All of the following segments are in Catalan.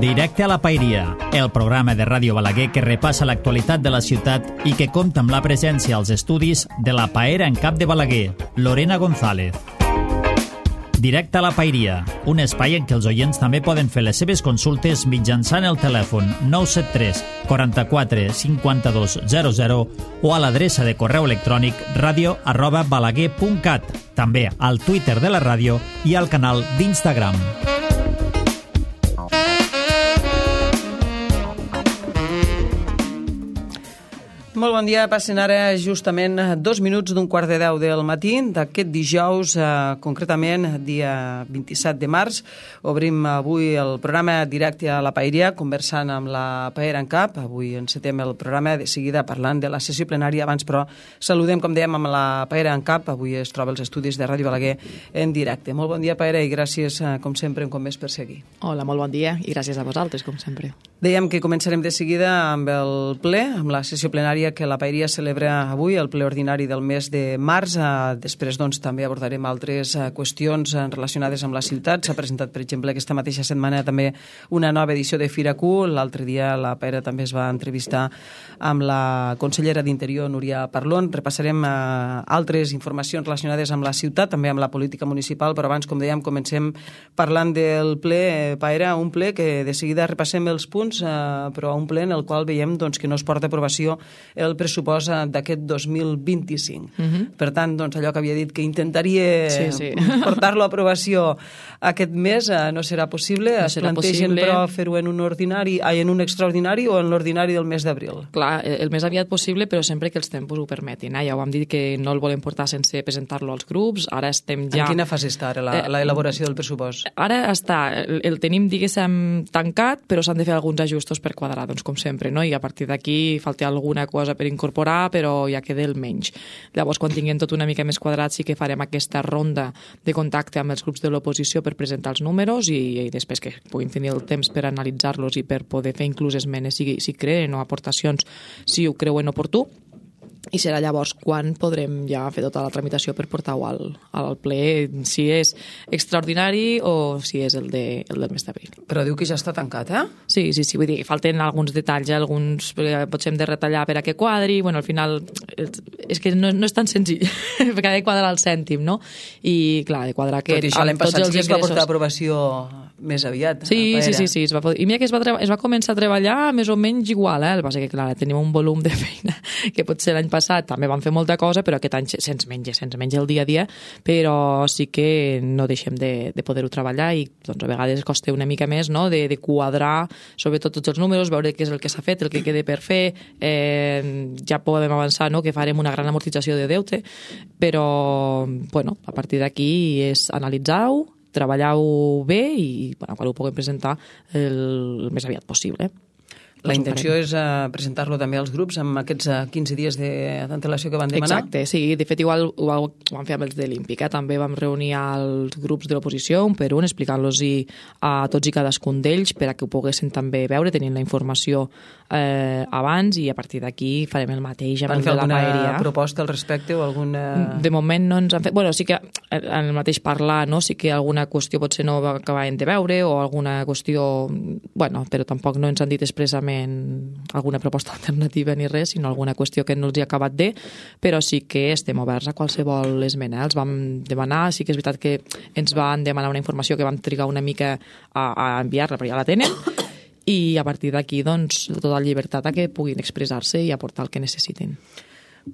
Directe a la Pairia, el programa de Ràdio Balaguer que repassa l'actualitat de la ciutat i que compta amb la presència als estudis de la Paera en Cap de Balaguer, Lorena González. Directe a la Pairia, un espai en què els oients també poden fer les seves consultes mitjançant el telèfon 973 44 52 00 o a l'adreça de correu electrònic radio@balaguer.cat, també al Twitter de la ràdio i al canal d'Instagram. Molt bon dia, passen ara justament 2 minuts d'un quart de 10 del matí d'aquest dijous, concretament dia 27 de març. Obrim avui el programa Directe a la Paeria, conversant amb la Paera en Cap. Avui encetem el programa de seguida parlant de la sessió plenària. Abans, però, saludem, com dèiem, amb la Paera en Cap. Avui es troba als estudis de Ràdio Balaguer en directe. Molt bon dia, Paera, i gràcies, com sempre, un cop més per seguir. Hola, molt bon dia, i gràcies a vosaltres, com sempre. Dèiem que començarem de seguida amb el ple, amb la sessió plenària que la Paeria celebra avui, el ple ordinari del mes de març. Després, doncs, també abordarem altres qüestions relacionades amb la ciutat. S'ha presentat, per exemple, aquesta mateixa setmana també una nova edició de Fira Q. L'altre dia la Paera també es va entrevistar amb la consellera d'Interior, Núria Parlon. Repassarem altres informacions relacionades amb la ciutat, també amb la política municipal, però abans, com dèiem, comencem parlant del ple, Paera, un ple que de seguida repassem els punts, però un ple en el qual veiem, doncs, que no es porta a aprovació el pressupost d'aquest 2025. Per tant, doncs, allò que havia dit que intentaria portar-lo a aprovació aquest mes no serà possible. Es plantegen, però, fer-ho en un extraordinari o en l'ordinari del mes d'abril? Clar, el més aviat possible, però sempre que els tempos ho permetin. Ja ho vam dir que no el volem portar sense presentar-lo als grups. Ara estem ja... En quina fase està ara l'elaboració del pressupost? Ara està, el tenim, diguéssim, tancat, però s'han de fer alguns ajustos per quadrar, doncs, com sempre, no? I a partir d'aquí falta alguna cosa per incorporar, però ja queda el menys. Llavors, quan tinguem tot una mica més quadrat, sí que farem aquesta ronda de contacte amb els grups de l'oposició per presentar els números i després que puguin tenir el temps per analitzar-los i per poder fer inclús esmenes si creen o aportacions si ho creuen oportú. I serà llavors quan podrem ja fer tota la tramitació per portar-ho al ple, si és extraordinari o si és el del mes d'abril. Però diu que ja està tancat, eh? Sí, vull dir, falten alguns detalls, alguns potser hem de retallar per a que quadri, bueno, al final és que no és tan senzill, perquè ha de quadrar el cèntim, no? I clar, de quadrar que... Tot i això l'any passat sí que es va portar a aprovació més aviat. Sí, es va poder. I mira que es va començar a treballar més o menys igual, el que passa que clar, tenim un volum de feina que potser l'any passat també vam fer molta cosa, però aquest any se'ns menja el dia a dia, però sí que no deixem de poder-ho treballar i doncs, a vegades costa una mica més, no?, de quadrar sobretot tots els números, veure què és el que s'ha fet, el que queda per fer. Ja podem avançar, no?, que farem una gran amortització de deute, però bueno, a partir d'aquí és analitzar-ho, treballar-ho bé i quan ho puguem presentar el més aviat possible. La intenció és presentar-lo també als grups amb aquests 15 dies d'antelació que van demanar? Exacte, sí. De fet, igual ho vam fer amb els de l'Ímpica. També vam reunir els grups de l'oposició un per un, explicant-los a tots i cadascun d'ells per a que ho poguessin també veure, tenint la informació abans, i a partir d'aquí farem el mateix amb el de la Paeria. Van fer alguna proposta al respecte o alguna... De moment no ens han fet... Bueno, sí que en el mateix parlar, no? Sí que alguna qüestió potser no acabàvem de veure o alguna qüestió... Bueno, però tampoc no ens han dit expressament alguna proposta alternativa ni res, sinó alguna qüestió que no els hi ha acabat de, però sí que estem oberts a qualsevol esmena. Els vam demanar, sí que és veritat que ens van demanar una informació que vam trigar una mica a enviar-la, però ja la tenen, i a partir d'aquí, doncs, tota la llibertat a que puguin expressar-se i aportar el que necessitin.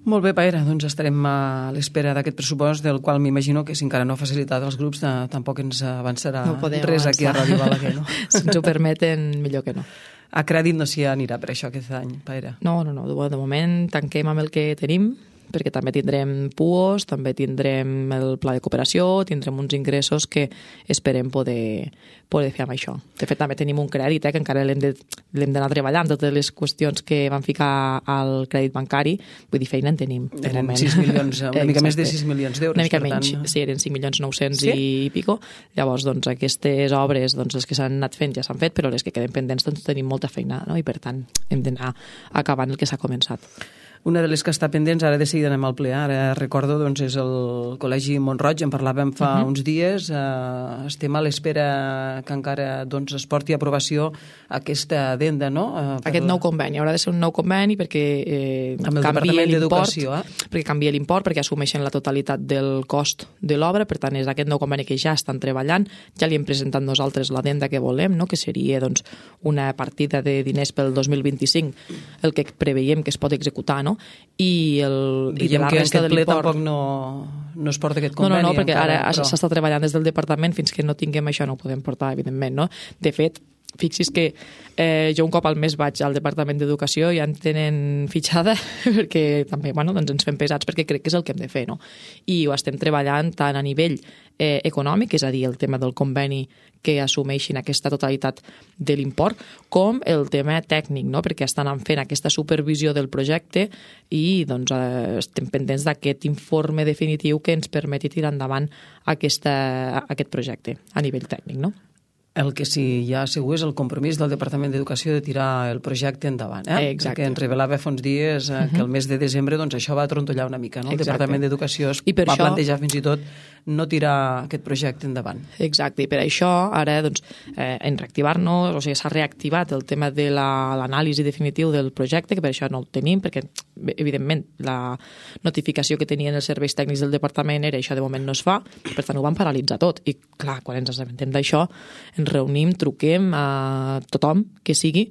Molt bé, Paera, doncs estarem a l'espera d'aquest pressupost, del qual m'imagino que si encara no ha facilitat els grups tampoc ens avançarà res aquí a Ràdio Balaguer, no? Si ens ho permeten, millor que no. A crèdit no s'hi anirà per això aquest any, Paera? No. De moment tanquem amb el que tenim, perquè també tindrem PUOs, també tindrem el pla de cooperació, tindrem uns ingressos que esperem poder fer amb això. De fet, també tenim un crèdit, que encara l'hem d'anar treballant, totes les qüestions que van ficar al crèdit bancari, vull dir, feina en tenim. Eren 6 milions, una mica més de 6 milions d'euros. Una mica menys, sí, eren 5.900.000 i pico. Llavors, doncs, aquestes obres, doncs, les que s'han anat fent ja s'han fet, però les que queden pendents, doncs, tenim molta feina, no? I per tant, hem d'anar acabant el que s'ha començat. Una de les que està pendents, ara de seguida anem al ple, ara recordo, doncs, és el Col·legi Mont-roig, en parlàvem fa uns dies, estem a l'espera que encara doncs, es porti a aprovació aquesta addenda, no? Aquest nou conveni, haurà de ser un nou conveni perquè canvia l'import, perquè canvia l'import, perquè assumeixen la totalitat del cost de l'obra, per tant és aquest nou conveni que ja estan treballant, ja li hem presentat nosaltres l'addenda que volem, no? Que seria doncs, una partida de diners pel 2025, el que preveiem que es pot executar, no? I de la resta de l'import... Tampoc no es porta aquest conveni. No, perquè ara s'està treballant des del departament, fins que no tinguem això no ho podem portar, evidentment, no? De fet, fixi's que jo un cop al mes vaig al Departament d'Educació i ja en tenen fitxada perquè també doncs ens fem pesats perquè crec que és el que hem de fer, no? I ho estem treballant tant a nivell econòmic, és a dir, el tema del conveni que assumeixin aquesta totalitat de l'import, com el tema tècnic, no? Perquè estan fent aquesta supervisió del projecte i doncs, estem pendents d'aquest informe definitiu que ens permeti tirar endavant aquest projecte a nivell tècnic, no? El que sí ja segur és el compromís del Departament d'Educació de tirar el projecte endavant. Exacte. Perquè ens revelava fa uns dies que el mes de desembre doncs, això va trontollar una mica. No? El Departament d'Educació va plantejar fins i tot no tirar aquest projecte endavant. Exacte, i per això ara doncs, en reactivar-nos, o sigui, s'ha reactivat el tema de l'anàlisi definitiu del projecte, que per això no el tenim, perquè evidentment la notificació que tenien els serveis tècnics del departament era això de moment no es fa, per tant ho van paralitzar tot. I clar, quan ens assabentem d'això, ens reunim, truquem a tothom que sigui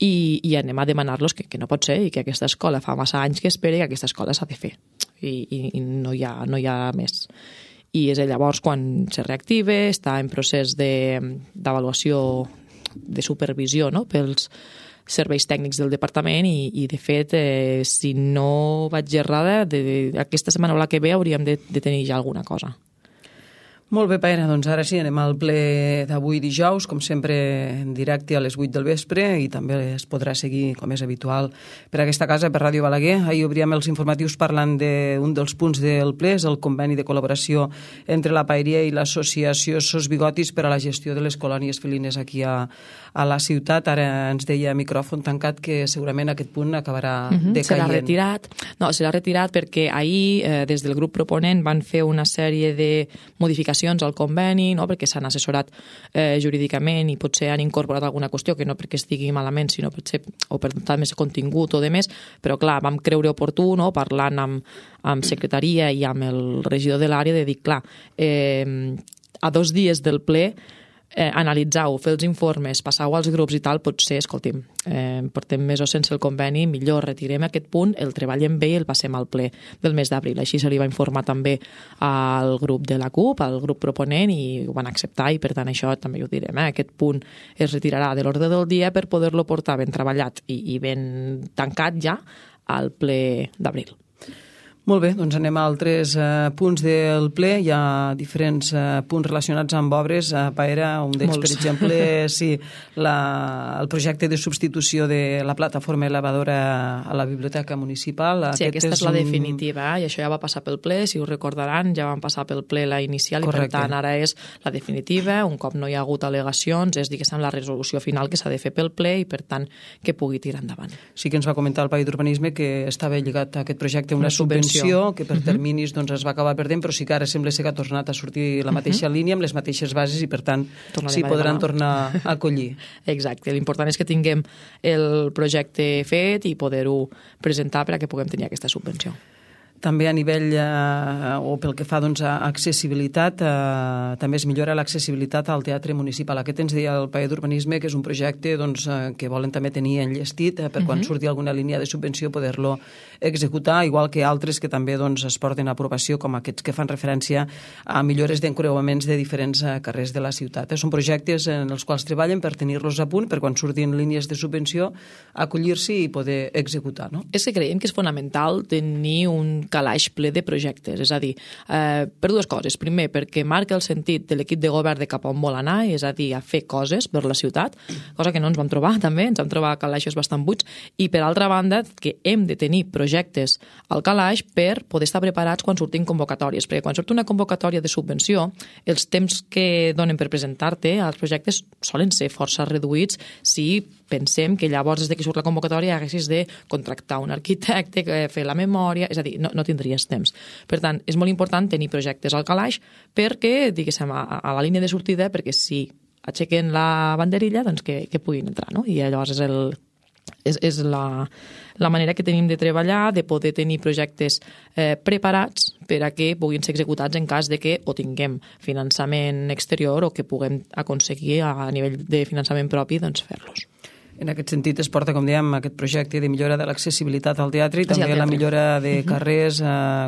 i anem a demanar-los que no pot ser i que aquesta escola fa massa anys que espera i que aquesta escola s'ha de fer i no hi ha més. I és llavors quan se reactiva, està en procés d'avaluació, de supervisió, no?, pels serveis tècnics del departament i de fet, si no vaig errada, aquesta setmana o la que ve hauríem de tenir ja alguna cosa. Molt bé, Paena, doncs ara sí, anem al ple d'avui dijous, com sempre en directe a les 8 del vespre i també es podrà seguir, com és habitual, per aquesta casa, per Ràdio Balaguer. Ahir obríem els informatius parlant d'un dels punts del ple, és el conveni de col·laboració entre la Paeria i l'associació Sos Bigotis per a la gestió de les colònies felines aquí a la ciutat. Ara ens deia a micròfon tancat que segurament aquest punt acabarà decaient. Serà retirat. No, serà retirat perquè ahir, des del grup proponent, van fer una sèrie de modificacions al conveni, no? Perquè s'han assessorat jurídicament i potser han incorporat alguna qüestió que no perquè estigui malament, sinó potser o per dotar més contingut o de més, però clar, vam creure oportú, no? Parlant amb secretaria i amb el regidor de l'àrea de dir, clar, a 2 dies del ple analitzar-ho, fer els informes, passar-ho als grups i tal, potser, escolti'm, portem mesos sense el conveni, millor retirem aquest punt, el treballem bé i el passem al ple del mes d'abril. Així se li va informar també al grup de la CUP, al grup proponent, i ho van acceptar i per tant això també ho direm, aquest punt es retirarà de l'ordre del dia per poder-lo portar ben treballat i ben tancat ja al ple d'abril. Molt bé, doncs anem a altres punts del ple. Hi ha diferents punts relacionats amb obres. Paera, un d'ells, per exemple, sí, el projecte de substitució de la plataforma elevadora a la biblioteca municipal. Sí, aquesta és la definitiva, i això ja va passar pel ple, si us recordaran, ja van passar pel ple la inicial. Correcte. I per tant ara és la definitiva, un cop no hi ha hagut al·legacions, és diguéssim la resolució final que s'ha de fer pel ple i per tant que pugui tirar endavant. Sí que ens va comentar el Paí d'Urbanisme que estava lligat a aquest projecte una subvenció que per terminis doncs, es va acabar perdent, però sí que ara sembla ser que ha tornat a sortir la mateixa línia amb les mateixes bases i per tant sí podran tornar a acollir. Exacte, l'important és que tinguem el projecte fet i poder-ho presentar per a que puguem tenir aquesta subvenció. També a nivell, o pel que fa doncs, a accessibilitat, també es millora l'accessibilitat al teatre municipal. Aquest ens deia el Paí d'Urbanisme que és un projecte doncs, que volen també tenir enllestit per quan surti alguna línia de subvenció poder-lo executar, igual que altres que també doncs, es porten a aprovació, com aquests que fan referència a millores d'encreuaments de diferents carrers de la ciutat. Són projectes en els quals treballen per tenir-los a punt, per quan surtin línies de subvenció, acollir-s'hi i poder executar. No? És que creiem que és fonamental tenir un calaix ple de projectes, és a dir, per 2 coses. Primer, perquè marca el sentit de l'equip de govern de cap on vol anar, és a dir, a fer coses per la ciutat, cosa que no ens vam trobar també, ens vam trobar calaixos bastant buits, i per altra banda, que hem de tenir projectes al calaix per poder estar preparats quan surtin convocatòries, perquè quan surt una convocatòria de subvenció, els temps que donen per presentar-te als projectes solen ser força reduïts si pensem que llavors, des que surt la convocatòria, haguessis de contractar un arquitecte, fer la memòria, és a dir, no tindries temps. Per tant, és molt important tenir projectes al calaix perquè, diguéssim, a la línia de sortida, perquè si aixequen la banderilla, doncs que puguin entrar, no? I llavors és la manera que tenim de treballar, de poder tenir projectes preparats per a que puguin ser executats en cas de que o tinguem finançament exterior o que puguem aconseguir a nivell de finançament propi doncs fer-los. En aquest sentit es porta, com dèiem, aquest projecte de millora de l'accessibilitat al teatre i també la millora de carrers,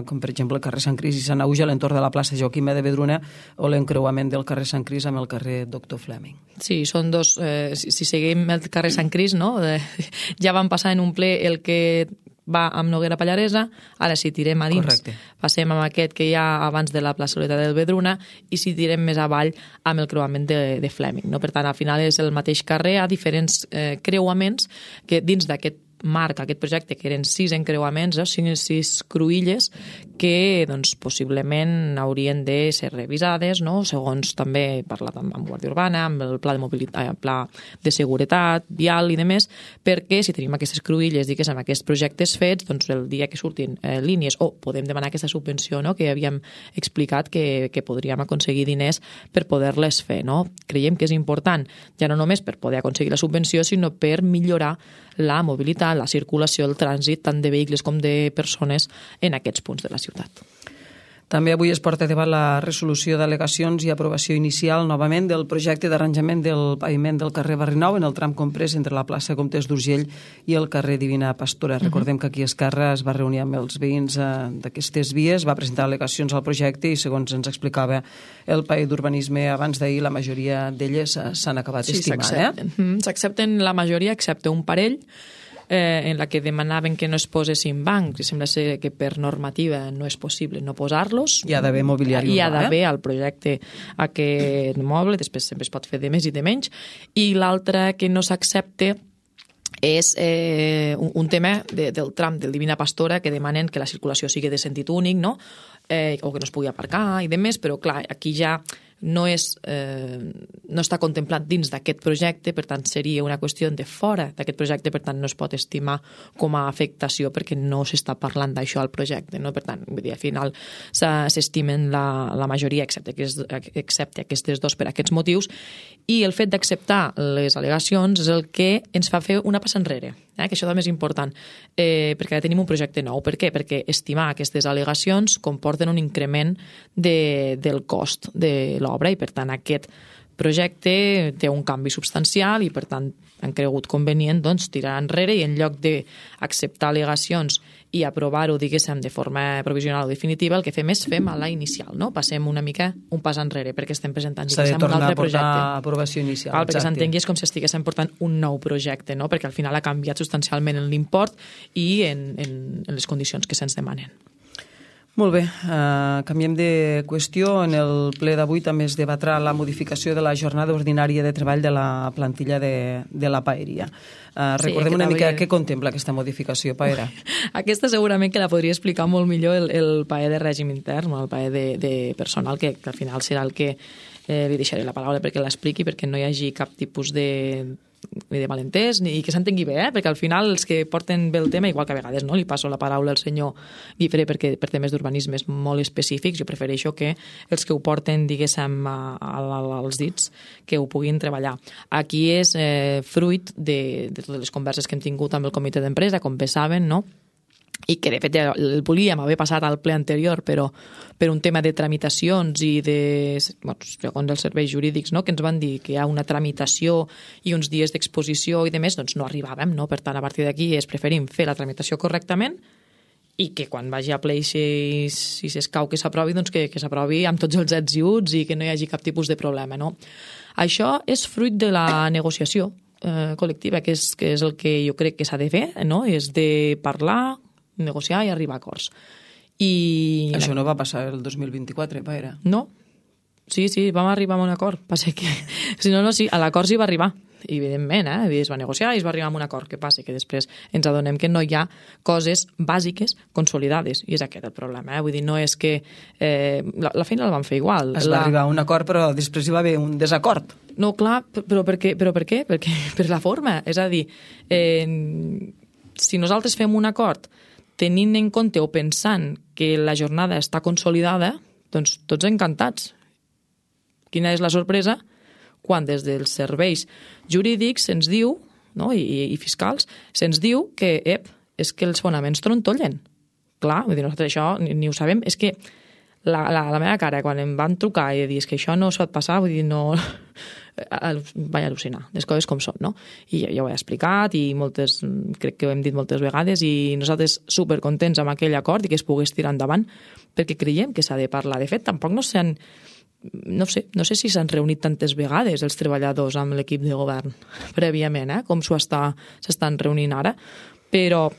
com per exemple el carrer Sant Cris i Sant Auge a l'entorn de la plaça Joaquima de Vedruna o l'encreuament del carrer Sant Cris amb el carrer Doctor Fleming. Sí, són dos... si seguim el carrer Sant Cris, no? Ja van passar en un ple el que va amb Noguera Pallaresa, ara si tirem a dins passem amb aquest que hi ha abans de la plaçoleta del Vedruna i si tirem més avall amb el creuament de Fleming. No? Per tant, al final és el mateix carrer, a diferents creuaments que dins d'aquest marc, aquest projecte, que eren 6 encreuaments, 6 cruïlles, que doncs, possiblement haurien de ser revisades, no? Segons també parlat amb Guàrdia Urbana, amb el pla de mobilitat, pla de seguretat, vial i demés, perquè si tenim aquestes cruïlles, diguéssim, aquests projectes fets, doncs el dia que surtin línies, o podem demanar aquesta subvenció, no? Que havíem explicat que podríem aconseguir diners per poder-les fer, no? Creiem que és important, ja no només per poder aconseguir la subvenció, sinó per millorar la mobilitat, la circulació, el trànsit, tant de vehicles com de persones en aquests punts de la ciutat. També avui es porta a debat la resolució d'al·legacions i aprovació inicial novament del projecte d'arranjament del paviment del carrer Barrinou en el tram comprès entre la plaça Comtes d'Urgell i el carrer Divina Pastora. Recordem que aquí a Esquerra es va reunir amb els veïns d'aquestes vies, va presentar al·legacions al projecte i, segons ens explicava el paer d'urbanisme abans d'ahir, la majoria d'elles s'han acabat estimant. S'accepten la majoria, excepte un parell, en la que demanaven que no es posessin bancs, i sembla ser que per normativa no és possible no posar-los. Hi ha d'haver mobiliari urbà. Hi ha d'haver al projecte aquest moble, després sempre es pot fer de més i de menys, i l'altre que no s'accepta és un tema del tram del Divina Pastora, que demanen que la circulació sigui de sentit únic, no? O que no es pugui aparcar i demés, però clar, aquí ja no està contemplat dins d'aquest projecte, per tant seria una qüestió de fora d'aquest projecte, per tant no es pot estimar com a afectació perquè no s'està parlant d'això al projecte, no? Per tant, vull dir, al final s'estimen la majoria excepte aquestes dos per aquests motius, i el fet d'acceptar les al·legacions és el que ens fa fer una passa enrere, que això també és important, perquè ara tenim un projecte nou. Per què? Perquè estimar aquestes al·legacions comporten un increment del cost de l'obra i, per tant, aquest projecte té un canvi substancial i, per tant, han cregut convenient tirar enrere i en lloc d'acceptar al·legacions i aprovar-ho, diguéssim, de forma provisional o definitiva, el que fem és fem a la inicial, no? Passem una mica un pas enrere perquè estem presentant, diguéssim, un altre projecte. S'ha de tornar a portar aprovació inicial. Perquè s'entengui és com si estiguéssim portant un nou projecte, no? Perquè al final ha canviat substancialment en l'import i en les condicions que se'ns demanen. Molt bé, canviem de qüestió. En el ple d'avui també es debatrà la modificació de la jornada ordinària de treball de la plantilla de la paeria. Recordem una mica què contempla aquesta modificació, Paera. Aquesta segurament que la podria explicar molt millor el paer de règim intern, el paer de personal, que al final serà el que li deixaré la paraula perquè l'expliqui, perquè no hi hagi cap tipus de malentès i que s'entengui bé, perquè al final els que porten bé el tema, igual que a vegades li passo la paraula al senyor Guifré perquè per temes d'urbanisme molt específics, jo prefereixo que els que ho porten, diguéssim, als dits, que ho puguin treballar. Aquí és fruit de totes les converses que hem tingut amb el comitè d'empresa, com bé saben, no? I que de fet el volíem haver passat al ple anterior, però per un tema de tramitacions i segons els serveis jurídics, no, que ens van dir que hi ha una tramitació i uns dies d'exposició i demés, doncs no arribàvem, no? Per tant, a partir d'aquí preferim fer la tramitació correctament i que quan vagi a ple si s'escau que s'aprovi, doncs que s'aprovi amb tots els ets i uts i que no hi hagi cap tipus de problema, no? Això és fruit de la negociació col·lectiva, que és el que jo crec que s'ha de fer, no? És de parlar, negociar i arribar a acords. Això no va passar el 2024, Paera? No. Sí, vam arribar a un acord. Passa que, sí, a l'acord s'hi va arribar. i evidentment, es va negociar i es va arribar a un acord. Què passa? Que després ens adonem que no hi ha coses bàsiques consolidades, i és aquest el problema. Vull dir, no és que la feina la van fer igual. Es va arribar a un acord, però després hi va haver un desacord. No, clar, però per què? Perquè per la forma. És a dir, si nosaltres fem un acord tenint en compte o pensant que la jornada està consolidada, doncs tots encantats. Quina és la sorpresa? Quan des dels serveis jurídics se'ns diu, no, i fiscals, se'ns diu que, és que els fonaments trontollen. Clar, vull dir, nosaltres això ni ho sabem. És que la meva cara, quan em van trucar i dir que això no es pot passar, vull dir, no... vaig al·lucinar, les coses com són, no? I ja ho he explicat i crec que ho hem dit moltes vegades i nosaltres supercontents amb aquell acord i que es pogués tirar endavant perquè creiem que s'ha de parlar. De fet, tampoc no sé si s'han reunit tantes vegades els treballadors amb l'equip de govern prèviament, com s'estan reunint ara, però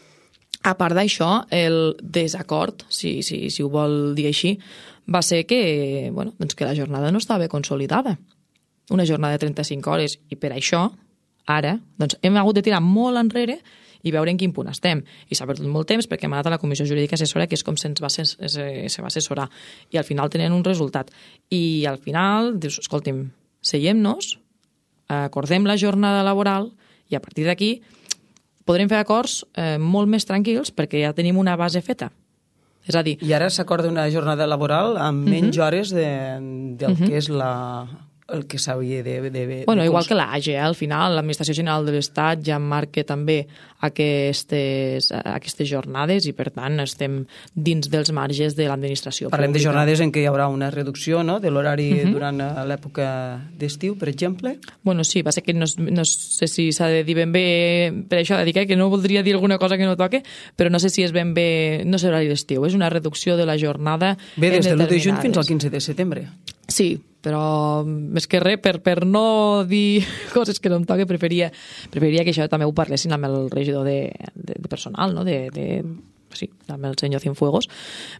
a part d'això, el desacord, si ho vol dir així, va ser que la jornada no estava consolidada. Una jornada de 35 hores, i per això, ara, hem hagut de tirar molt enrere i veure en quin punt estem. I s'ha perdut molt temps perquè hem anat a la Comissió Jurídica Assessora, que és com se va assessorar. I al final tenen un resultat. I al final dius, escolti'm, seiem-nos, acordem la jornada laboral i a partir d'aquí podrem fer acords molt més tranquils perquè ja tenim una base feta. És a dir... I ara s'acorda una jornada laboral amb menys hores del que és el que s'hauria de... Igual que l'AGE, al final, l'Administració General de l'Estat ja marca també aquestes jornades i, per tant, estem dins dels marges de l'administració pública. Parlem de jornades en què hi haurà una reducció, no?, de l'horari durant l'època d'estiu, per exemple? Sí, va ser que no sé si s'ha de dir ben bé, per això de dir que no voldria dir alguna cosa que no toque, però no sé si és ben bé, no és horari d'estiu, és una reducció de la jornada. Bé, des del 1 de juny fins al 15 de setembre. Sí, però més que res, per no dir coses que no em toque, preferiria que això també ho parlessin amb el regidor de personal, no? Sí, amb el senyor Cienfuegos,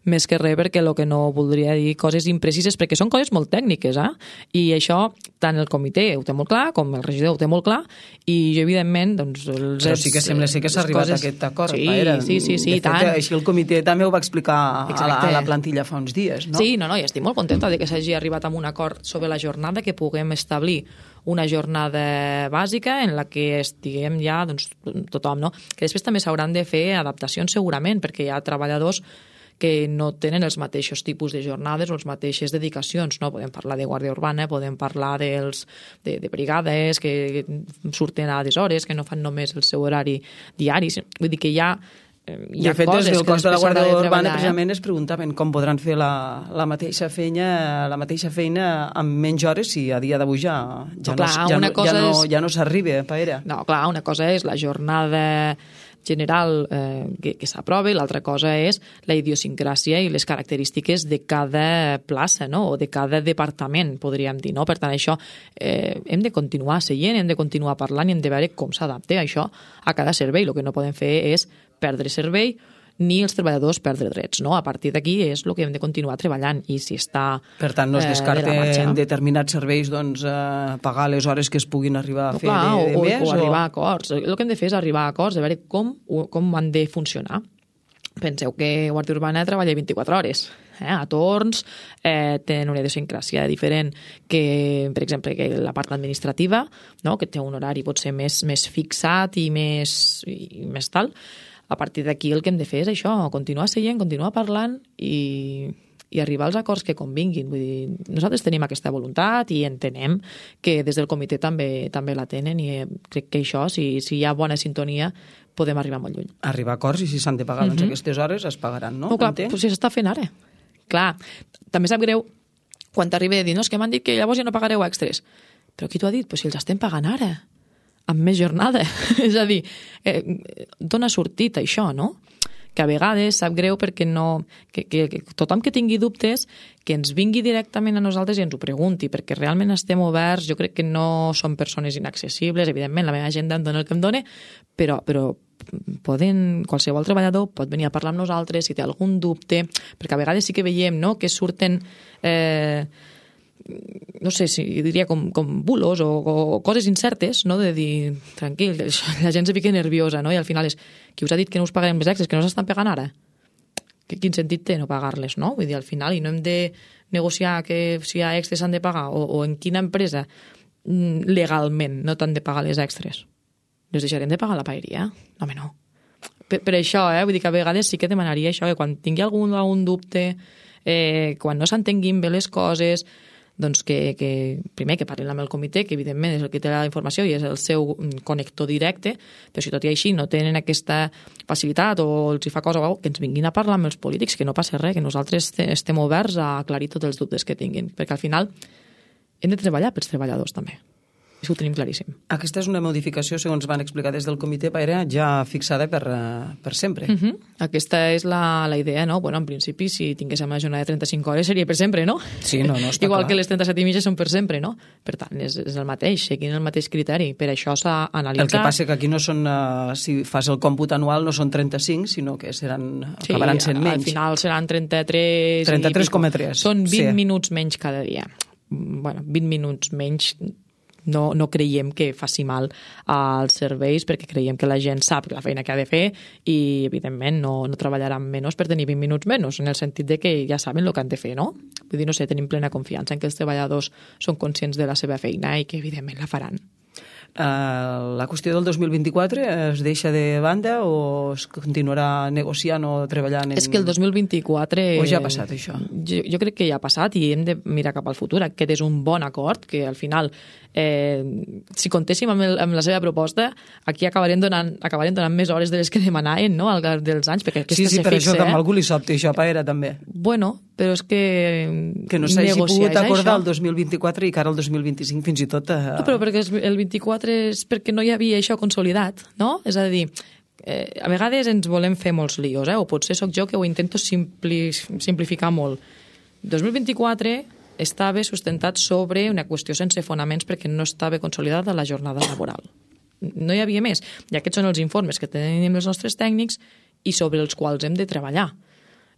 més que res perquè el que no voldria dir coses imprecises, perquè són coses molt tècniques, i això tant el comitè ho té molt clar, com el regidor ho té molt clar, i jo, evidentment, doncs... Però sí que sembla que s'ha arribat a aquest acord. Sí, tant. Així el comitè també ho va explicar a la plantilla fa uns dies, no? Sí, i estic molt contenta de que s'hagi arribat a un acord sobre la jornada, que puguem establir una jornada bàsica en la que estiguem ja tothom, no? Que després també s'hauran de fer adaptacions segurament, perquè hi ha treballadors que no tenen els mateixos tipus de jornades o les mateixes dedicacions, no? Podem parlar de guàrdia urbana, podem parlar de brigades que surten a des hores, que no fan només el seu horari diari. Vull dir que hi ha de fet, des del cos de la Guàrdia Urbana precisament es preguntaven com podran fer la mateixa feina amb menys hores si a dia d'avui ja no s'arriba a Paera. No, clar, una cosa és la jornada general que s'aprova i l'altra cosa és la idiosincràsia i les característiques de cada plaça, no? O de cada departament, podríem dir, no? Per tant, això hem de continuar seient, hem de continuar parlant i hem de veure com s'adapta això a cada servei. El que no podem fer és perdre servei ni els treballadors perdre drets, no? A partir d'aquí és el que hem de continuar treballant i si està per tant, no es descarta en determinats serveis pagar les hores que es puguin arribar a fer de mes? O arribar a acords. El que hem de fer és arribar a acords, a veure com han de funcionar. Penseu que Guàrdia Urbana treballa 24 hores, a torns, tenen una idiosincràsia diferent que, per exemple, que la part administrativa, no? Que té un horari potser més fixat i més tal. A partir d'aquí el que hem de fer és això, continuar seient, continuar parlant i arribar als acords que convinguin. Vull dir, nosaltres tenim aquesta voluntat i entenem que des del comitè també la tenen i crec que això, si hi ha bona sintonia, podem arribar molt lluny. Arribar a acords i si s'han de pagar aquestes hores es pagaran, no? No, clar, però si s'està fent ara. Clar, també sap greu quan t'arriba a dir, no, és que m'han dit que llavors ja no pagareu extres. Però qui t'ho ha dit? Pues si els estem pagant ara, amb més jornada. És a dir, dona sortit això, no? Que a vegades sap greu perquè que tothom que tingui dubtes que ens vingui directament a nosaltres i ens ho pregunti, perquè realment estem oberts, jo crec que no som persones inaccessibles, evidentment la meva agenda em dona el que em dona, però qualsevol treballador pot venir a parlar amb nosaltres si té algun dubte, perquè a vegades sí que veiem, no?, que surten no sé si diria com bulos o coses incertes, no? De dir, tranquil, la gent se fica nerviosa, no? I al final és, qui us ha dit que no us pagarem les extres, que no s'estan pagant ara? Quin sentit té no pagar-les, no? Vull dir, al final, i no hem de negociar que si hi ha extres s'han de pagar, o en quina empresa legalment no t'han de pagar les extres. Les deixarem de pagar la paeria? No, home, no. Per això, vull dir que a vegades sí que demanaria això, que quan tingui algun dubte, quan no s'entenguin bé les coses, doncs que primer que parlin amb el comitè, que evidentment és el que té la informació i és el seu connector directe, però si tot i així no tenen aquesta facilitat o els hi fa cosa, que ens vinguin a parlar amb els polítics, que no passa res, que nosaltres estem oberts a aclarir tots els dubtes que tinguin, perquè al final hem de treballar pels treballadors també. Això ho tenim claríssim. Aquesta és una modificació, segons van explicar des del comitè Paera, ja fixada per sempre. Aquesta és la idea, no? Bueno, en principi, si tinguéssim una jornada de 35 hores seria per sempre, no? Sí, no, està igual clar. Que les 37 i mitja són per sempre, no? Per tant, és el mateix, seguint el mateix criteri. Per això s'ha analitzat. El que passa que aquí no són, si fas el còmput anual, no són 35, sinó que acabaran sent menys. Al final seran 33... 33,3. Són 20 minuts menys cada dia. Bueno, 20 minuts menys... No creiem que faci mal als serveis, perquè creiem que la gent sap la feina que ha de fer i, evidentment, no treballaran menys per tenir 20 minuts menys, en el sentit de que ja saben el que han de fer, no? Vull dir, no sé, tenim plena confiança en que els treballadors són conscients de la seva feina i que, evidentment, la faran. La qüestió del 2024 es deixa de banda o es continuarà negociant o treballant en... És que el 2024... O ja ha passat, això? Jo crec que ja ha passat i hem de mirar cap al futur. Aquest és un bon acord, que al final, si comptéssim amb la seva proposta, aquí acabarem donant més hores de les que demanaven, no?, al llarg dels anys, perquè aquesta sí, per això que amb algú li sobta això, Paera, també. Bueno, però és que no s'hagi pogut acordar el 2024 i que ara el 2025 fins i tot... No, però perquè el 24 és perquè no hi havia això consolidat, no? És a dir, a vegades ens volem fer molts líos, o potser sóc jo que ho intento simplificar molt. 2024 estava sustentat sobre una qüestió sense fonaments perquè no estava consolidada la jornada laboral. No hi havia més. I aquests són els informes que tenim els nostres tècnics i sobre els quals hem de treballar.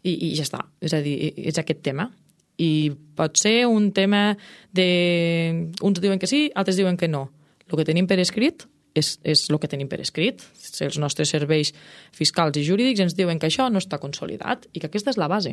I ja està. És a dir, és aquest tema. I pot ser un tema de... Uns diuen que sí, altres diuen que no. El que tenim per escrit és el que tenim per escrit. Els nostres serveis fiscals i jurídics ens diuen que això no està consolidat i que aquesta és la base.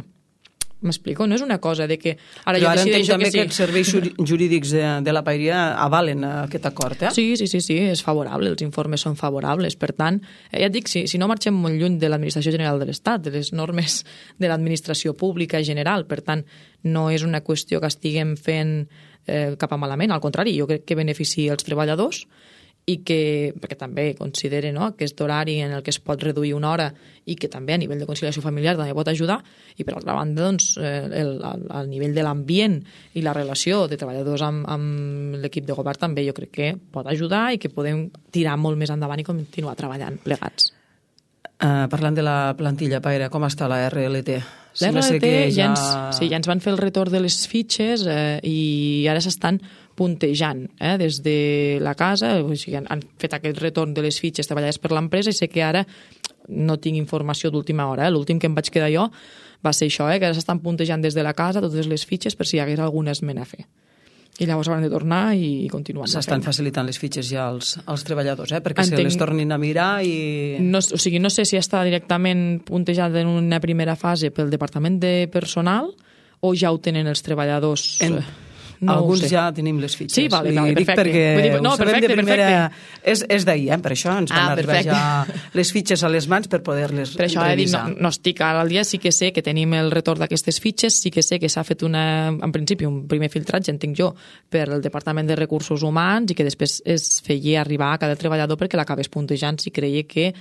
M'explico? No és una cosa de que ara jo decideixo que sí. Però ara entenc també que els serveis jurídics de la paeria avalen aquest acord, Sí, és favorable, els informes són favorables. Per tant, ja et dic, si no marxem molt lluny de l'Administració General de l'Estat, de les normes de l'administració pública general, per tant, no és una qüestió que estiguem fent cap a malament, al contrari, jo crec que beneficia els treballadors i que, perquè també considere aquest horari en el que es pot reduir una hora i que també a nivell de conciliació familiar també pot ajudar, i per altra banda doncs, al nivell de l'ambient i la relació de treballadors amb l'equip de govern també jo crec que pot ajudar i que podem tirar molt més endavant i continuar treballant plegats. Parlant de la plantilla, Paera, com està la RLT? La RLT ja ens van fer el retorn de les fitxes i ara s'estan puntejant des de la casa, o sigui, han fet aquest retorn de les fitxes treballades per l'empresa i sé que ara no tinc informació d'última hora. L'últim que em vaig quedar jo va ser això, que ara s'estan puntejant des de la casa totes les fitxes per si hi hagués alguna esmena a fer. I llavors hauran de tornar i continuar. S'estan facilitant les fitxes ja als treballadors, perquè se les tornin a mirar i... No sé si està directament puntejat en una primera fase pel Departament de Personal o ja ho tenen els treballadors... Alguns ja tenim les fitxes. Sí, vale, perfecte. Dic perquè ho sabem de primera... És d'ahir, per això ens van arribar ja les fitxes a les mans per poder-les revisar. Per això no estic al dia, sí que sé que tenim el retorn d'aquestes fitxes, sí que sé que s'ha fet en principi un primer filtratge, entenc jo, per el Departament de Recursos Humans i que després es feia arribar a cada treballador perquè l'acabés puntejant si creia que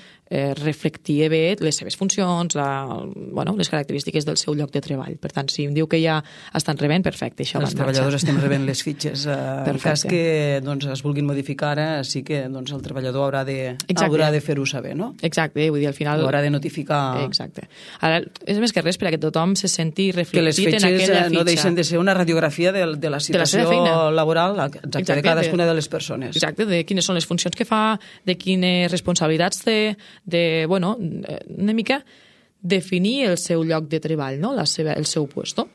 reflectia bé les seves funcions, les característiques del seu lloc de treball. Per tant, si em diu que ja estan rebent, perfecte. Els treballadors estem rebent les fitxes. En cas que es vulguin modificar, sí que el treballador haurà de fer-ho saber, no? Exacte, vull dir, al final... Haurà de notificar... Exacte. Ara, és més que res perquè tothom se senti reflectit en aquella fitxa. Que les fitxes no deixen de ser una radiografia de la situació laboral de cadascuna de les persones. Exacte, de quines són les funcions que fa, de quines responsabilitats té, una mica definir el seu lloc de treball, no? El seu puesto.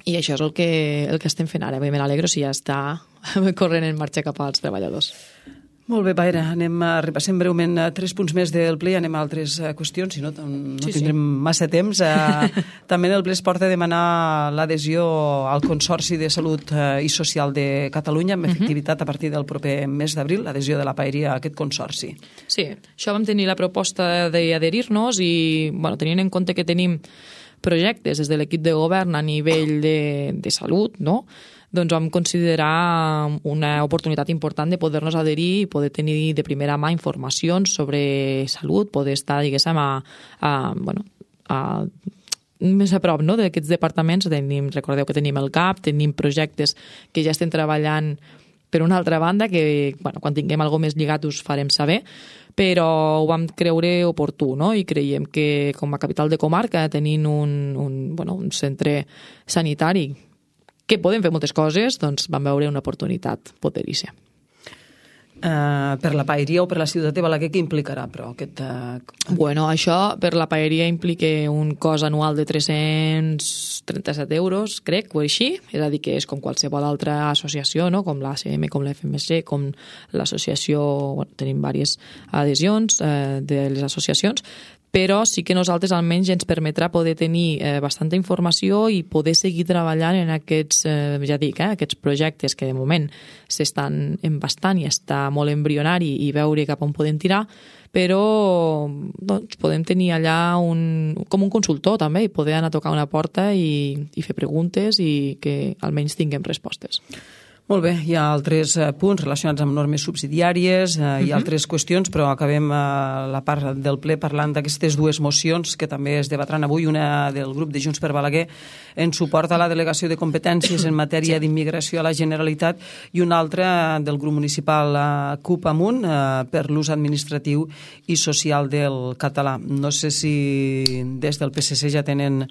I això és el que estem fent ara. Me n'alegro si ja està corrent en marxa cap als treballadors. Molt bé, Paera, repassem breument 3 punts més del ple i anem a altres qüestions, si no, tindrem massa temps. També el ple es porta a demanar l'adhesió al Consorci de Salut i Social de Catalunya amb efectivitat a partir del proper mes d'abril, l'adhesió de la Paeria a aquest consorci. Sí, això vam tenir la proposta d'adherir-nos i, tenint en compte que tenim projectes des de l'equip de govern a nivell de salut, no?, doncs vam considerar una oportunitat important de poder-nos adherir i poder tenir de primera mà informacions sobre salut, poder estar, diguéssim, més a prop, no?, d'aquests departaments. Recordeu que tenim el CAP, tenim projectes que ja estem treballant per una altra banda, que quan tinguem alguna més lligat us farem saber, però ho vam creure oportú, no?, i creiem que com a capital de comarca, tenint un centre sanitari que podem fer moltes coses, doncs vam veure una oportunitat poder-hi ser. Per la Paeria o per la ciutat de Balaguer, què implicarà, però, aquest... Això per la Paeria implica un cost anual de 337 euros, crec, o així, és a dir, que és com qualsevol altra associació, no?, com l'ACM, com l'FMC, com l'associació... tenim diverses adhesions de les associacions, però sí que nosaltres almenys ens permetrà poder tenir bastanta informació i poder seguir treballant en aquests, aquests projectes que de moment s'estan embastant i està molt embrionari i veure cap on podem tirar, però podem tenir allà com un consultor també i poder anar a tocar una porta i fer preguntes i que almenys tinguem respostes. Molt bé, hi ha altres punts relacionats amb normes subsidiàries i altres qüestions, però acabem la part del ple parlant d'aquestes 2 mocions que també es debatran avui, una del grup de Junts per Balaguer en suport a la delegació de competències en matèria d'immigració a la Generalitat i una altra del grup municipal CUP Amunt per l'ús administratiu i social del català. No sé si des del PSC ja tenen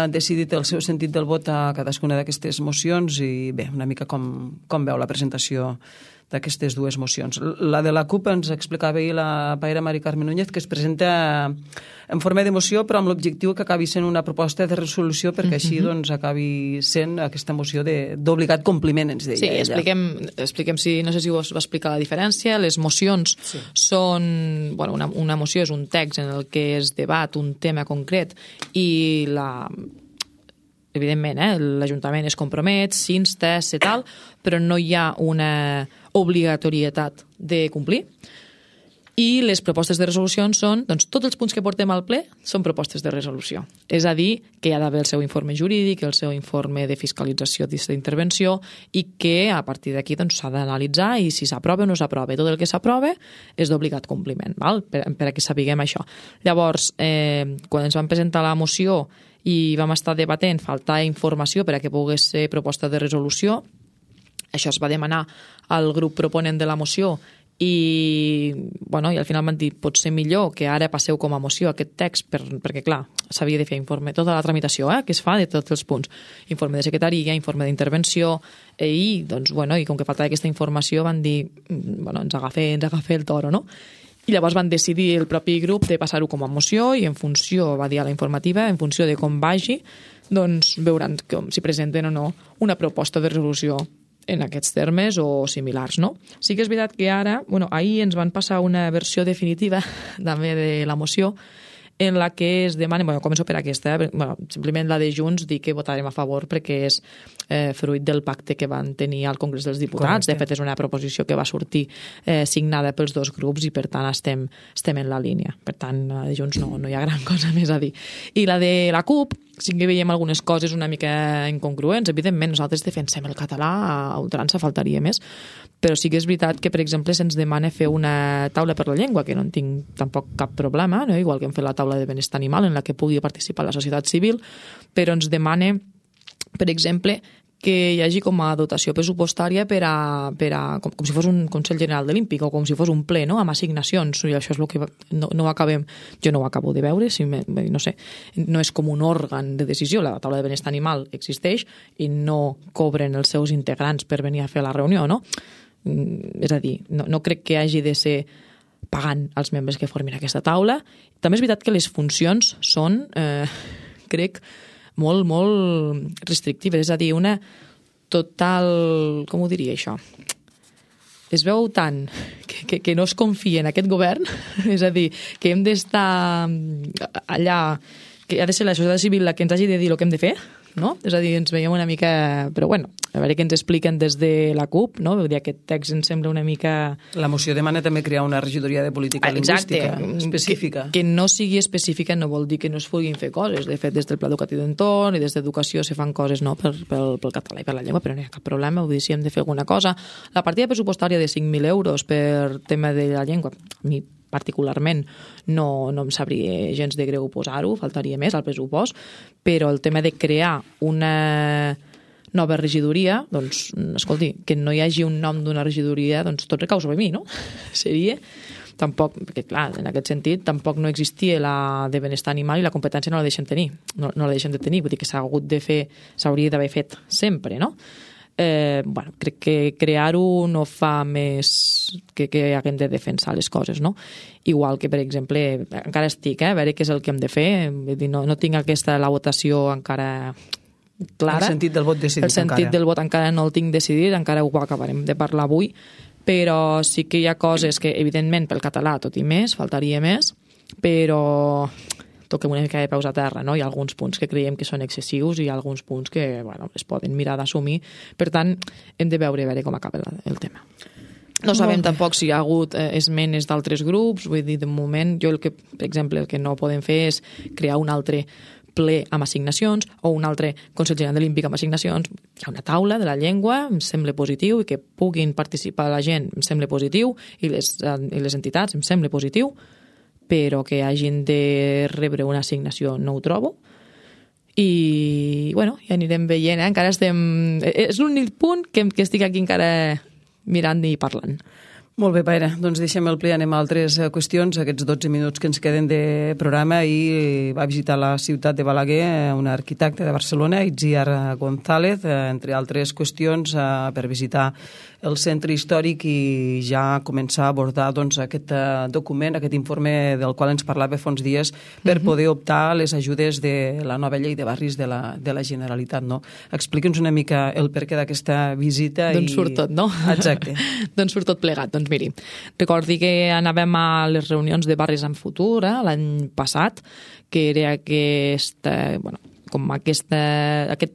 decidit el seu sentit del vot a cadascuna d'aquestes mocions i bé, una mica com veu la presentació d'aquestes 2 mocions. La de la CUP ens explicava ahir la Paera Mari Carme Núñez, que es presenta en forma de moció però amb l'objectiu que acabi sent una proposta de resolució perquè així acabi sent aquesta moció d'obligat compliment, ens deia ella. Sí, expliquem si, no sé si us va explicar la diferència. Les mocions són, una moció és un text en el que es debat un tema concret i evidentment, l'Ajuntament es compromet, s'insta, tal, però no hi ha una obligatorietat de complir. I les propostes de resolució són, tots els punts que portem al ple són propostes de resolució. És a dir, que hi ha d'haver el seu informe jurídic, el seu informe de fiscalització d'intervenció i que a partir d'aquí s'ha d'analitzar i si s'aprova o no s'aprova. Tot el que s'aprova és d'obligat compliment, per a que sapiguem això. Llavors, quan ens van presentar la moció i vam estar debatent, faltar informació per a que pogués ser proposta de resolució, això es va demanar al grup proponent de la moció i al final van dir pot ser millor que ara passeu com a moció aquest text perquè clar, s'havia de fer informe, tota la tramitació que es fa de tots els punts, informe de secretaria, informe d'intervenció i com que faltava aquesta informació van dir ens agafa el toro, no? I llavors van decidir el propi grup de passar-ho com a moció i en funció, va dir a la informativa, en funció de com vagi, veuran si presenten o no una proposta de resolució en aquests termes o similars, no? Sí que és veritat que ara, ahir ens van passar una versió definitiva també de la moció en la que es demana, començo per aquesta, simplement la de Junts, dir que votarem a favor perquè és fruit del pacte que van tenir al Congrés dels Diputats. Correcte. De fet, és una proposició que va sortir signada pels 2 grups i, per tant, estem en la línia. Per tant, la de Junts no hi ha gran cosa més a dir. I la de la CUP, sí que veiem algunes coses una mica incongruents. Evidentment, nosaltres defensem el català a ultrança, faltaria més, però sí que és veritat que, per exemple, se'ns demana fer una taula per la llengua, que no en tinc tampoc cap problema, no? Igual que hem fet la taula de benestar animal, en la que pugui participar la societat civil, però ens demana, per exemple, que hi hagi com a dotació pressupostària com si fos un Consell General de l'Olímpic o com si fos un ple, no?, amb assignacions, i això és el que no acabem, jo no ho acabo de veure, no sé, no és com un òrgan de decisió, la taula de benestar animal existeix i no cobren els seus integrants per venir a fer la reunió, no? És a dir, no crec que hagi de ser pagant els membres que formin aquesta taula. També és veritat que les funcions són, crec, molt, molt restrictives, és a dir, una total... Com ho diria, això? Es veu tant que no es confia en aquest govern, és a dir, que hem d'estar allà, que ha de ser la societat civil la que ens hagi de dir el que hem de fer, no? És a dir, ens veiem una mica... Però bueno, a veure què ens expliquen des de la CUP, no? Vull dir, aquest text ens sembla una mica... La moció demana també crear una regidoria de política lingüística específica. Que no sigui específica no vol dir que no es puguin fer coses. De fet, des del Pla Educatiu d'Entorn i des d'Educació se fan coses, no?, pel català i per la llengua, però no hi ha cap problema. Vull dir, si hem de fer alguna cosa. La partida pressupostària de 5.000 euros per tema de la llengua, a mi particularment no em sabria gens de greu posar-ho, faltaria més al pressupost, però el tema de crear una nova regidoria, doncs, escolti, que no hi hagi un nom d'una regidoria, doncs tot recau sobre mi, no? Seria... Tampoc, perquè clar, en aquest sentit, tampoc no existia la de benestar animal i la competència no la deixem tenir, no la deixem de tenir, vull dir que s'hauria d'haver fet sempre, no? Bueno, crec que crear-ho no fa més que haguem de defensar les coses, no? Igual que, per exemple, encara estic, a veure què és el que hem de fer, vull dir, no tinc la votació encara clara. El sentit del vot decidit encara. El sentit del vot encara no el tinc decidit, encara ho acabarem de parlar avui, però sí que hi ha coses que, evidentment, pel català tot i més, faltaria més, però toquem una mica de peus a terra, no? Hi ha alguns punts que creiem que són excessius i hi ha alguns punts que, bueno, es poden mirar d'assumir. Per tant, hem de veure com acaba el tema. No sabem tampoc si hi ha hagut esmenes d'altres grups, vull dir, de moment, per exemple, el que no podem fer és crear un altre ple amb assignacions o un altre Consell General de l'Olímpic amb assignacions. Hi ha una taula de la llengua, em sembla positiu, i que puguin participar la gent em sembla positiu, i les entitats em sembla positiu, però que hagin de rebre una assignació no ho trobo. I, bueno, ja anirem veient, encara estem... És l'únic punt que estic aquí encara mirant i parlant. Molt bé, Paera, doncs deixem el ple, anem a altres qüestions, aquests 12 minuts que ens queden de programa. I va visitar la ciutat de Balaguer un arquitecte de Barcelona, Itziar González, entre altres qüestions, per visitar el centre històric i ja començar a abordar aquest document, aquest informe del qual ens parlava fa uns dies, per poder optar a les ajudes de la nova llei de barris de la Generalitat, no? Expliqui'ns una mica el perquè d'aquesta visita. D'on surt tot, no? Exacte. D'on surt tot plegat. Doncs miri, recordi que anàvem a les reunions de Barris en Futur l'any passat, que era com aquest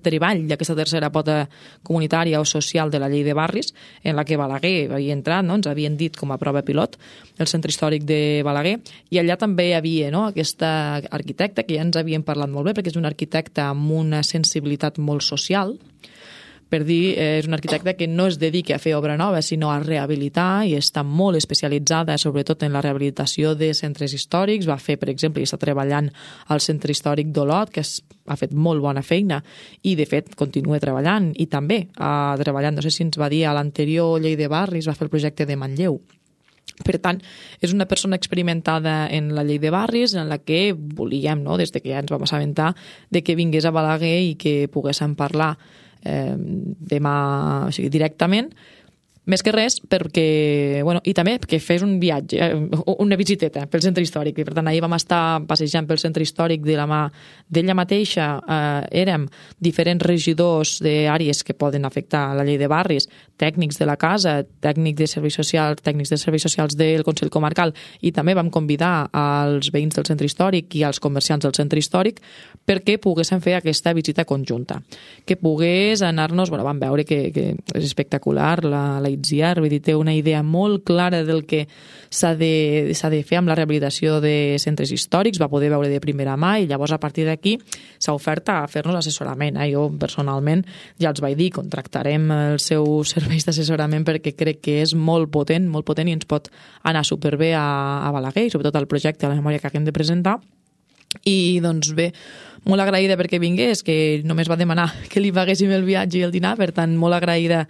treball d'aquesta tercera pota comunitària o social de la llei de barris, en la que Balaguer havia entrat, no? Ens havien dit com a prova pilot el centre històric de Balaguer, i allà també hi havia, no?, aquesta arquitecta que ja ens havien parlat molt bé, perquè és un arquitecte amb una sensibilitat molt social. Per dir, és una arquitecta que no es dedica a fer obra nova, sinó a rehabilitar, i està molt especialitzada, sobretot en la rehabilitació de centres històrics. Va fer, per exemple, i està treballant al centre històric d'Olot, que ha fet molt bona feina, i de fet continua treballant, i també treballant, no sé si ens va dir, a l'anterior llei de barris va fer el projecte de Manlleu. Per tant, és una persona experimentada en la llei de barris, en la que volíem, no?, des que ja ens vam assabentar, de que vingués a Balaguer i que poguéssim parlar demà, o sigui, directament, més que res perquè, bueno, i també perquè fes un viatge, una visiteta pel centre històric, i per tant ahir vam estar passejant pel centre històric de la mà d'ella mateixa. Érem diferents regidors d'àrees que poden afectar la llei de barris, tècnics de la casa, tècnics de serveis socials del Consell Comarcal, i també vam convidar als veïns del centre històric i als comerciants del centre històric perquè poguéssim fer aquesta visita conjunta, que pogués anar-nos, bueno, vam veure que és espectacular la Itziar, vull dir, té una idea molt clara del que s'ha de fer amb la rehabilitació de centres històrics, va poder veure de primera mà, i llavors a partir d'aquí s'ha ofert a fer-nos assessorament. Jo personalment ja els vaig dir, contractarem els seus serveis d'assessorament perquè crec que és molt potent i ens pot anar superbé a Balaguer, i sobretot al projecte, a la memòria que hem de presentar. I doncs bé, molt agraïda perquè vingués, que només va demanar que li paguéssim el viatge i el dinar, per tant molt agraïda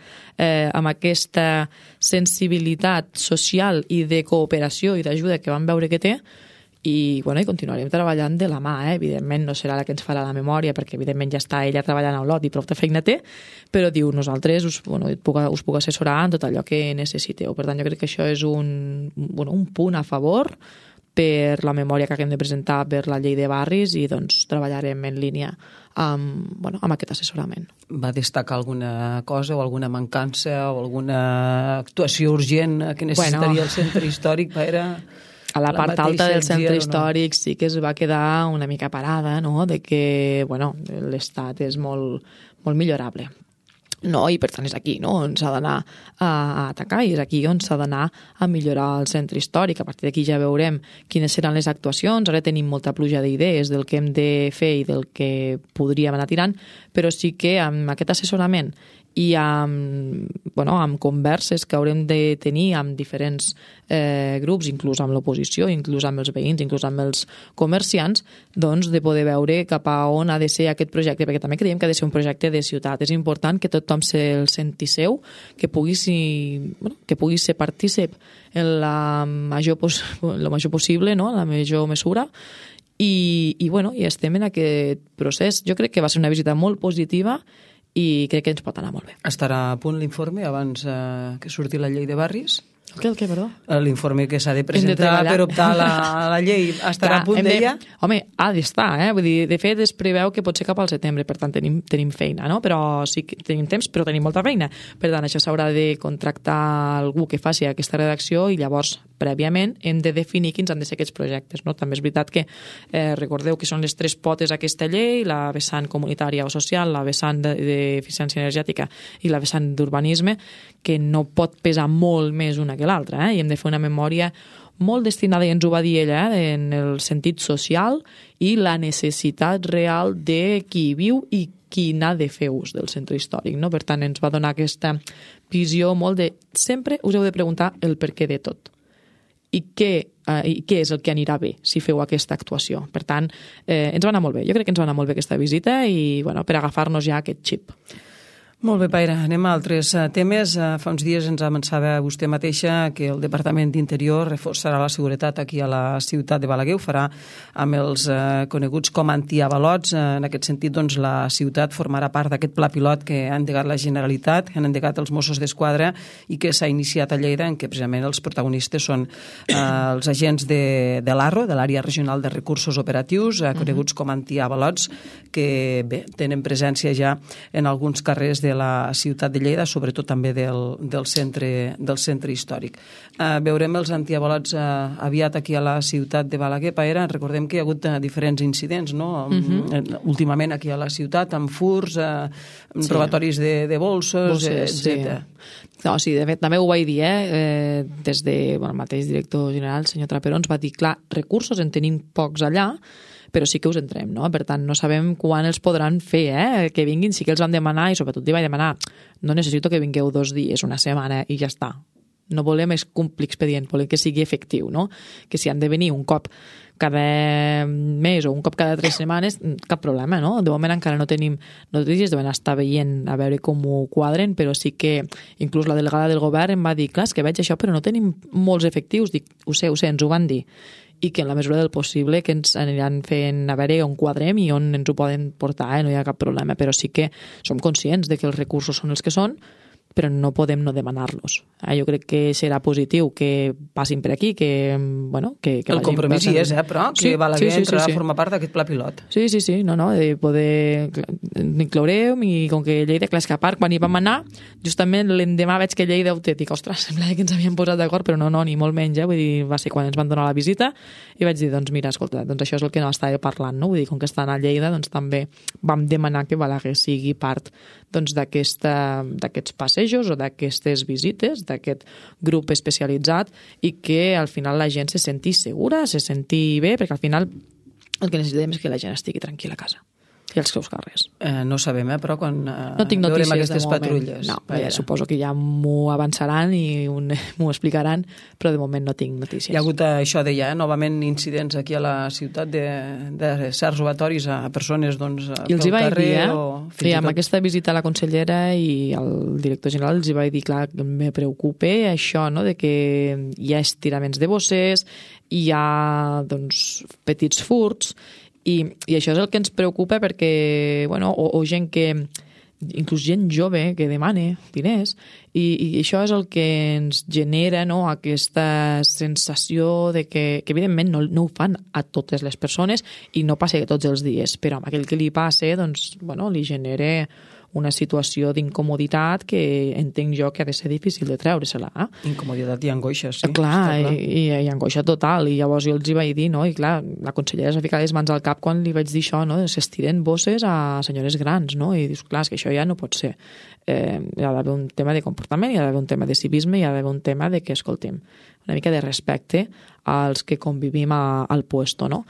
amb aquesta sensibilitat social i de cooperació i d'ajuda que vam veure que té. I continuarem treballant de la mà, evidentment no serà la que ens farà la memòria, perquè evidentment ja està ella treballant a Olot i prou de feina té, però diu, nosaltres us puc assessorar en tot allò que necessiteu. Per tant, jo crec que això és un punt a favor per la memòria que haguem de presentar per la llei de barris i doncs treballarem en línia amb aquest assessorament. Va destacar alguna cosa o alguna mancança o alguna actuació urgent que necessitaria el centre històric per a la part alta del centre històric sí que es va quedar una mica parada, no?, de que l'estat és molt, molt millorable. No, i per tant és aquí, no?, on s'ha d'anar a atacar i és aquí on s'ha d'anar a millorar el centre històric. A partir d'aquí ja veurem quines seran les actuacions. Ara tenim molta pluja d'idees del que hem de fer i del que podríem anar tirant, però sí que amb aquest assessorament i amb converses que haurem de tenir amb diferents grups, inclús amb l'oposició, inclús amb els veïns, inclús amb els comerciants, doncs de poder veure cap a on ha de ser aquest projecte, perquè també creiem que ha de ser un projecte de ciutat. És important que tothom se'l senti seu, que pugui ser partícip en la major possible, no?, en la major mesura, i estem en aquest procés. Jo crec que va ser una visita molt positiva i crec que ens pot anar molt bé. Estarà a punt l'informe abans que surti la llei de barris? El què, perdó? L'informe que s'ha de presentar per optar a la llei estarà a punt d'ella? Home, ha d'estar, Vull dir, de fet es preveu que pot ser cap al setembre, per tant tenim feina, no? Però sí que tenim temps, però tenim molta feina. Per tant, això s'haurà de contractar algú que faci aquesta redacció i llavors, prèviament, hem de definir quins han de ser aquests projectes, no? També és veritat que recordeu que són les tres potes aquesta llei, la vessant comunitària o social, la vessant d'eficiència energètica i la vessant d'urbanisme, que no pot pesar molt més una que l'altra, i hem de fer una memòria molt destinada, i ens ho va dir ella, en el sentit social i la necessitat real de qui viu i qui n'ha de fer ús del centre històric, no? Per tant, ens va donar aquesta visió molt de sempre us heu de preguntar el per què de tot i què és el que anirà bé si feu aquesta actuació. Per tant, ens va anar molt bé. Jo crec que ens va anar molt bé aquesta visita i per agafar-nos ja aquest xip. Molt bé, Paira. Anem a altres temes. Fa uns dies ens avançava vostè mateixa que el Departament d'Interior reforçarà la seguretat aquí a la ciutat de Balaguer. Ho farà amb els coneguts com antiavalots. En aquest sentit, doncs, la ciutat formarà part d'aquest pla pilot que ha endegat la Generalitat, que han endegat els Mossos d'Esquadra i que s'ha iniciat a Lleida, en què precisament els protagonistes són els agents de l'ARRO, de l'Àrea Regional de Recursos Operatius, coneguts com antiavalots, que bé, tenen presència ja en alguns carrers de la ciutat de Lleida, sobretot també del centre històric. Veurem els antiavalots aviat aquí a la ciutat de Balaguer. Paera, recordem que hi ha hagut diferents incidents, no? Últimament aquí a la ciutat, amb furts, robatoris de bolsos, etc. No, sí, de fet, també ho vaig dir, des del mateix director general, el senyor Traperó, ens va dir, clar, recursos en tenim pocs allà, però sí que us entrem, no? Per tant, no sabem quan els podran fer, que vinguin, sí que els vam demanar, i sobretot li vaig demanar, no necessito que vingueu 2 dies, una setmana, i ja està. No volem complir expedient, volem que sigui efectiu, no? Que si han de venir un cop cada mes o un cop cada 3 setmanes, cap problema, no? De moment encara no tenim notícies, deuen estar veient a veure com ho quadren, però sí que inclús la delegada del govern em va dir, clar, és que veig això, però no tenim molts efectius. Dic, ho sé, ens ho van dir. I que en la mesura del possible que ens aniran fent a veure on quadrem i on ens ho poden portar, no hi ha cap problema, però sí que som conscients de que els recursos són els que són, però no podem no demanar-los. Jo crec que serà positiu que passin per aquí, que el compromís hi és, però que Balaguer entrarà a formar part d'aquest pla pilot. Sí, de poder inclourem, i com que Lleida, clar, és que a part, quan hi vam anar, justament l'endemà veig que Lleida ho té, dic, ostres, sembla que ens havíem posat d'acord, però no, ni molt menys, vull dir, va ser quan ens van donar la visita, i vaig dir, doncs mira, escolta, doncs això és el que no estava parlant, no? Vull dir, com que estan a Lleida, doncs també vam demanar que Balaguer sigui part doncs d'aquests passejos o d'aquestes visites, d'aquest grup especialitzat, i que al final la gent se senti segura, se senti bé, perquè al final el que necessitem és que la gent estigui tranquil·la a casa i als seus carrers. No sabem, però quan no tinc notícies veurem aquestes patrulles. No, suposo que ja m'ho avançaran i m'ho explicaran, però de moment no tinc notícies. Hi ha hagut això, deia, novament incidents aquí a la ciutat de certs robatoris a persones pel carrer. I amb aquesta visita a la consellera i al director general els hi vaig dir, clar, que me preocupa això, no?, de que hi ha estiraments de bosses, hi ha petits furts, i això és el que ens preocupa perquè, o gent que inclús gent jove que demana diners, i això és el que ens genera, no?, aquesta sensació de que evidentment no ho fan a totes les persones i no passa tots els dies, però amb aquell que li passa, doncs, bueno, li genera una situació d'incomoditat que entenc jo que ha de ser difícil de treure-se-la. Incomoditat i angoixa, sí. Clar, i angoixa total, i llavors jo els hi vaig dir, no?, i clar, la consellera es va ficar les mans al cap quan li vaig dir això, no?, s'estiren bosses a senyores grans, no?, i dius, clar, és que això ja no pot ser. Hi ha d'haver un tema de comportament, hi ha d'haver un tema de civisme, hi ha d'haver un tema de que, escoltem, una mica de respecte als que convivim al puesto, no?,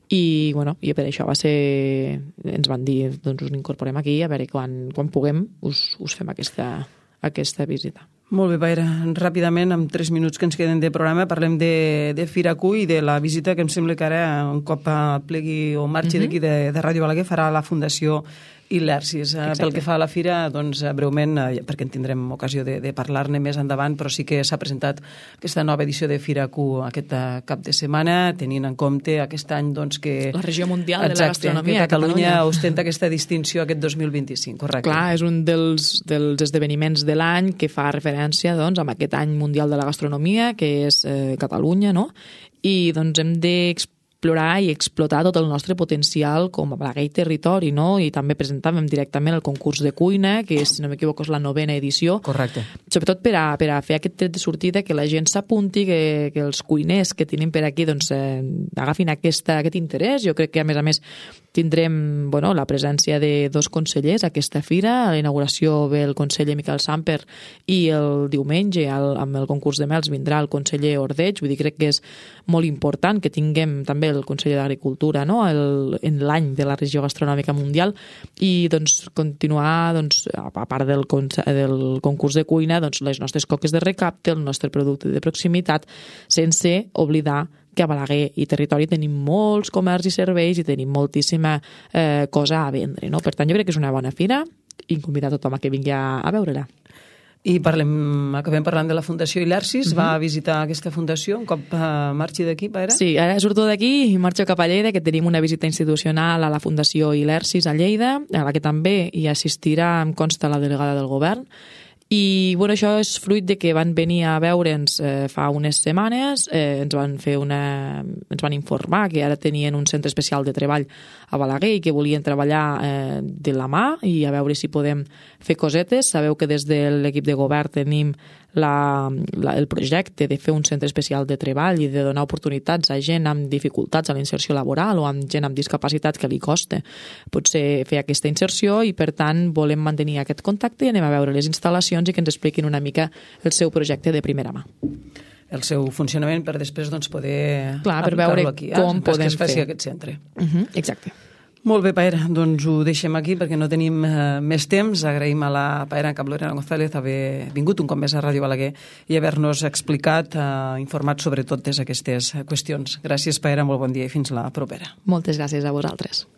i per això ens van dir, doncs us incorporem aquí, a veure quan puguem us fem aquesta visita. Molt bé, Paera. Ràpidament, en 3 minuts que ens queden de programa, parlem de Firacu i de la visita que em sembla que ara, un cop plegui o marxi d'aquí de Ràdio Balaguer, farà la Fundació i l'ERCIS. Pel que fa a la fira, doncs breument, perquè en tindrem ocasió de parlar-ne més endavant, però sí que s'ha presentat aquesta nova edició de Firacu aquest cap de setmana, tenint en compte aquest any doncs, que... La regió mundial de la gastronomia. Que Catalunya ostenta aquesta distinció aquest 2025, correcte. Clar, és un dels esdeveniments de l'any que fa referència doncs, a aquest any mundial de la gastronomia, que és Catalunya, no? I doncs hem d'explorar i explotar tot el nostre potencial com a Balaguer i territori, no? I també presentàvem directament el concurs de cuina, que si no m'equivoco és la 9ª edició. Correcte. Sobretot per a fer aquest tret de sortida, que la gent s'apunti, que els cuiners que tenim per aquí doncs, agafin aquest interès. Jo crec que, a més, tindrem la presència de 2 consellers a aquesta fira. A la inauguració ve el conseller Miquel Samper i el diumenge, amb el concurs de mels, vindrà el conseller Ordeig. Vull dir, crec que és molt important que tinguem també el conseller d'Agricultura, no?, en l'any de la regió gastronòmica mundial, i doncs continuar, doncs, a part del concurs de cuina, doncs, les nostres coques de recapte, el nostre producte de proximitat, sense oblidar que a Balaguer i territori tenim molts comerços i serveis i tenim moltíssima cosa a vendre, no? Per tant, jo crec que és una bona fira i convidar tothom a que vingui a veure-la. I acabem parlant de la Fundació i l'ERCIS. Va visitar aquesta fundació un cop marxi d'aquí, Paera? Sí, ara surto d'aquí i marxo cap a Lleida, que tenim una visita institucional a la Fundació i l'ERCIS a Lleida, a la que també hi assistirà, em consta, la delegada del govern. I això és fruit de que van venir a veure'ns fa unes setmanes, ens van informar que ara tenien un centre especial de treball a Balaguer i que volien treballar de la mà i a veure si podem fer cosetes. Sabeu que des de l'equip de govern tenim el projecte de fer un centre especial de treball i de donar oportunitats a gent amb dificultats a la inserció laboral o amb gent amb discapacitat que li costa potser fer aquesta inserció, i per tant volem mantenir aquest contacte i anem a veure les instal·lacions i que ens expliquin una mica el seu projecte de primera mà. El seu funcionament per després poder per veure aquí, com podem que es faci fer aquest centre. Exacte. Molt bé, Paera, doncs ho deixem aquí perquè no tenim més temps. Agraïm a la Paera en cap Lorena González haver vingut un cop més a Ràdio Balaguer i haver-nos explicat, informat sobre totes aquestes qüestions. Gràcies, Paera, molt bon dia i fins la propera. Moltes gràcies a vosaltres.